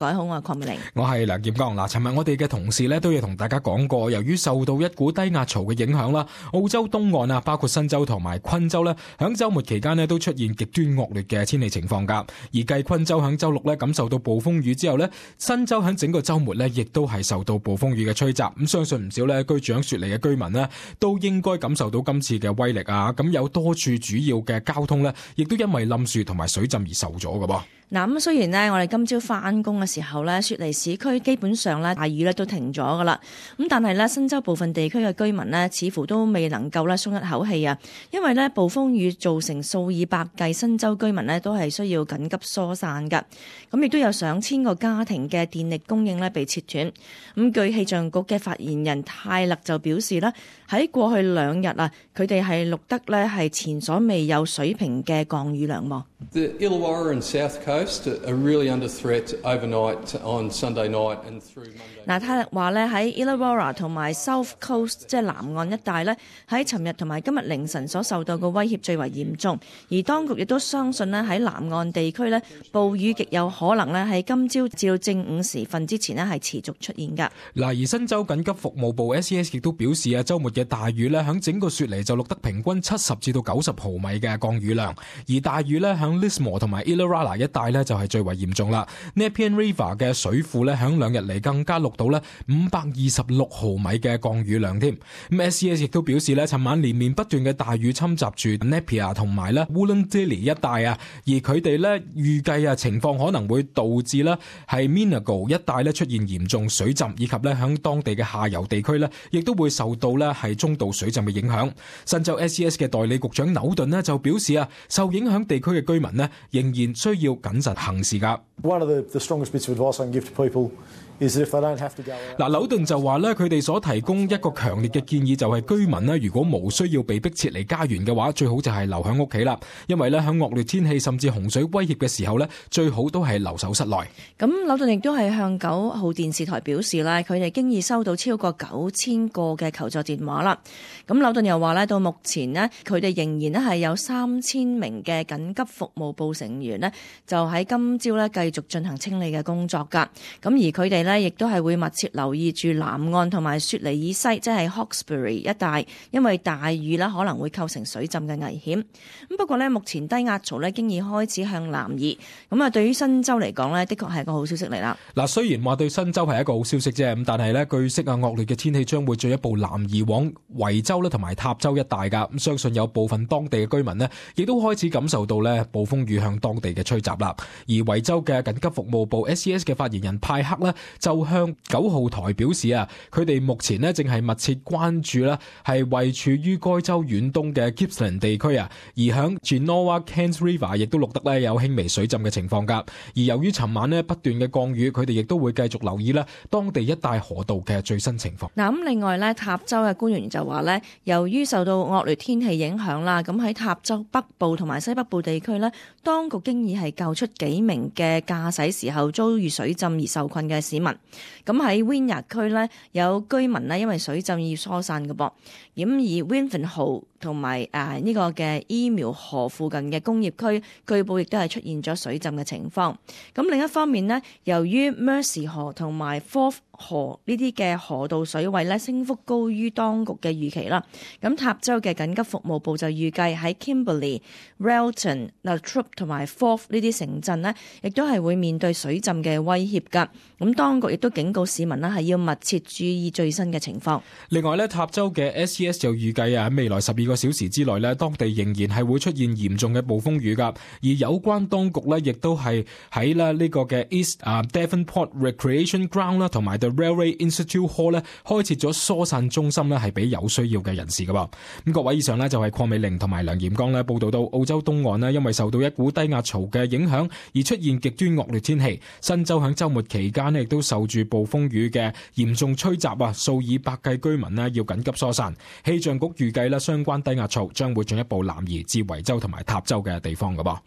各位好，我係鄺美玲，我係梁劍剛。尋日我哋嘅同事咧都有同大家講過，由於受到一股低壓槽嘅影響啦，澳洲東岸啊，包括新州同埋昆州咧，響週末期間咧都出現極端惡劣嘅天氣情況噶。而繼昆州響週六咧感受到暴風雨之後咧，新州響整個週末咧亦都係受到暴風雨嘅吹襲。咁相信唔少咧居住響雪梨嘅居民咧都應該感受到今次嘅威力啊。咁有多處主要嘅交通咧，亦都因為冧樹同埋水浸而受咗㗎噃。嗱，咁雖然呢，我哋今朝返工嘅時候呢，雪梨市區基本上呢大雨呢都停咗噶啦。咁但係呢，新州部分地區嘅居民呢，似乎都未能夠呢鬆一口氣啊，因為呢暴風雨造成數以百計新州居民呢都係需要緊急疏散噶。咁亦都有上千個家庭嘅電力供應呢被切斷。咁據氣象局嘅發言人泰勒就表示呢，喺過去2日啊，佢哋係錄得呢係前所未有水平嘅降雨量喎。The Illawarra and South Coast are really under threat overnight on Sunday night and through Monday. 泰勒話咧喺 Illawarra 同埋 South Coast 即係南岸一帶咧，喺尋日同埋今日凌晨所受到嘅威脅最為嚴重，而當局亦都相信咧喺南岸地區咧暴雨極有可能咧喺今朝至到正午時分之前咧係持續出現㗎。嗱，而新州緊急服務部 SES 亦都表示啊，週末嘅大雨咧響整個雪梨就錄得平均70至到90毫米嘅降雨量，而大雨咧響 Lismore 同埋 Illawarra 一帶咧就係最為嚴重啦。Nepean River 嘅水庫咧響2日嚟更加錄到咧526毫米嘅降雨量添。咁 SES 亦都表示咧，尋晚連綿不斷嘅大雨侵襲住 Napier 同埋咧 Wollondilly 一帶啊，而佢哋咧預計啊情況可能會導致咧係 Minago 一帶咧出現嚴重水浸，以及咧響當地嘅下游地區咧亦都會受到咧係中度水浸嘅影響。新州 SES 嘅代理局長紐頓咧就表示啊，受影響地區嘅居民咧仍然需要謹慎行事㗎。One of the strongest bits of advice I can give to people is that if they don't have to go out. 紐頓就話咧，佢哋所提供一個強烈嘅建議就係居民咧，如果無需要被迫撤離家園嘅話，最好就係留喺屋企啦。因為咧喺惡劣天氣甚至洪水威脅嘅時候咧，最好都係留守室內。咁紐頓亦都係向9號電視台表示咧，佢哋經已收到超過9000個嘅求助電話啦。咁紐頓又話咧，到目前呢，佢哋仍然咧係有3000名嘅緊急服務部成員呢，就喺今朝咧繼續進行清理嘅工作㗎。咁而佢哋咧亦都係會密切留意住南岸同埋雪梨以西，即係 Hawkesbury 一帶，因為大雨咧可能會構成水浸嘅危險。咁不過咧，目前低壓槽咧經已開始向南移。咁啊，對於新州嚟講咧，的確係一個好消息嚟啦。嗱，雖然話對新州係一個好消息啫，咁但係咧，據悉啊，惡劣嘅天氣將會進一步南移往維州咧同埋塔州一帶㗎。咁相信有部分當地嘅居民呢，亦都開始感受到咧暴風雨向當地嘅吹襲啦。而維州嘅緊急服務部 SES 嘅發言人派克呢，就向9號台表示啊，佢哋目前呢正係密切關注啦，係位處於該州遠東嘅 Gippsland 地區啊，而響 Genoa Kent River 亦都錄得咧有輕微水浸嘅情況㗎。而由於尋晚呢不斷嘅降雨，佢哋亦都會繼續留意咧當地一帶河道嘅最新情況。嗱，咁另外咧，塔州嘅官員就話咧，由於受到惡劣天氣影響啦，咁喺塔州北部同埋西北部地區咧，當局經已係救出幾名嘅駕駛時候遭遇水浸而受困嘅市民。咁喺 Wynyard 區咧，有居民咧因為水浸要疏散嘅噃。咁而 Wivenhoe 同埋呢個嘅 Emu 河附近嘅工業區，據報亦都係出現咗水浸嘅情況。咁另一方面呢，由於 Mersey 河同埋 Forth 河呢啲嘅河道水位咧升幅高於當局嘅預期啦。咁塔州嘅緊急服務部就預計喺 Kimberley、Relton、Latrobe 同埋 Forth 呢啲城鎮呢，亦都係會面對水浸嘅威脅㗎。咁當局亦都警告市民呢，係要密切注意最新嘅情況。另外咧，塔州嘅 SES 就預計啊，喺未來12個小時之內咧，當地仍然係會出現嚴重嘅暴風雨㗎。而有關當局咧，亦都係喺呢個嘅 East Devonport Recreation Ground 啦，同埋 The Railway Institute Hall 咧，開設咗疏散中心咧，係俾有需要嘅人士㗎噃。咁各位，以上咧就係鄺美玲同埋梁炎剛咧報道到澳洲東岸咧，因為受到一股低壓槽嘅影響而出現極端惡劣天氣。新州喺週末期間咧，亦都受住暴風雨嘅嚴重吹襲啊，數以百計居民咧要緊急疏散。氣象局預計咧，相關低壓槽將會進一步南移至維州同埋塔州嘅地方㗎噃。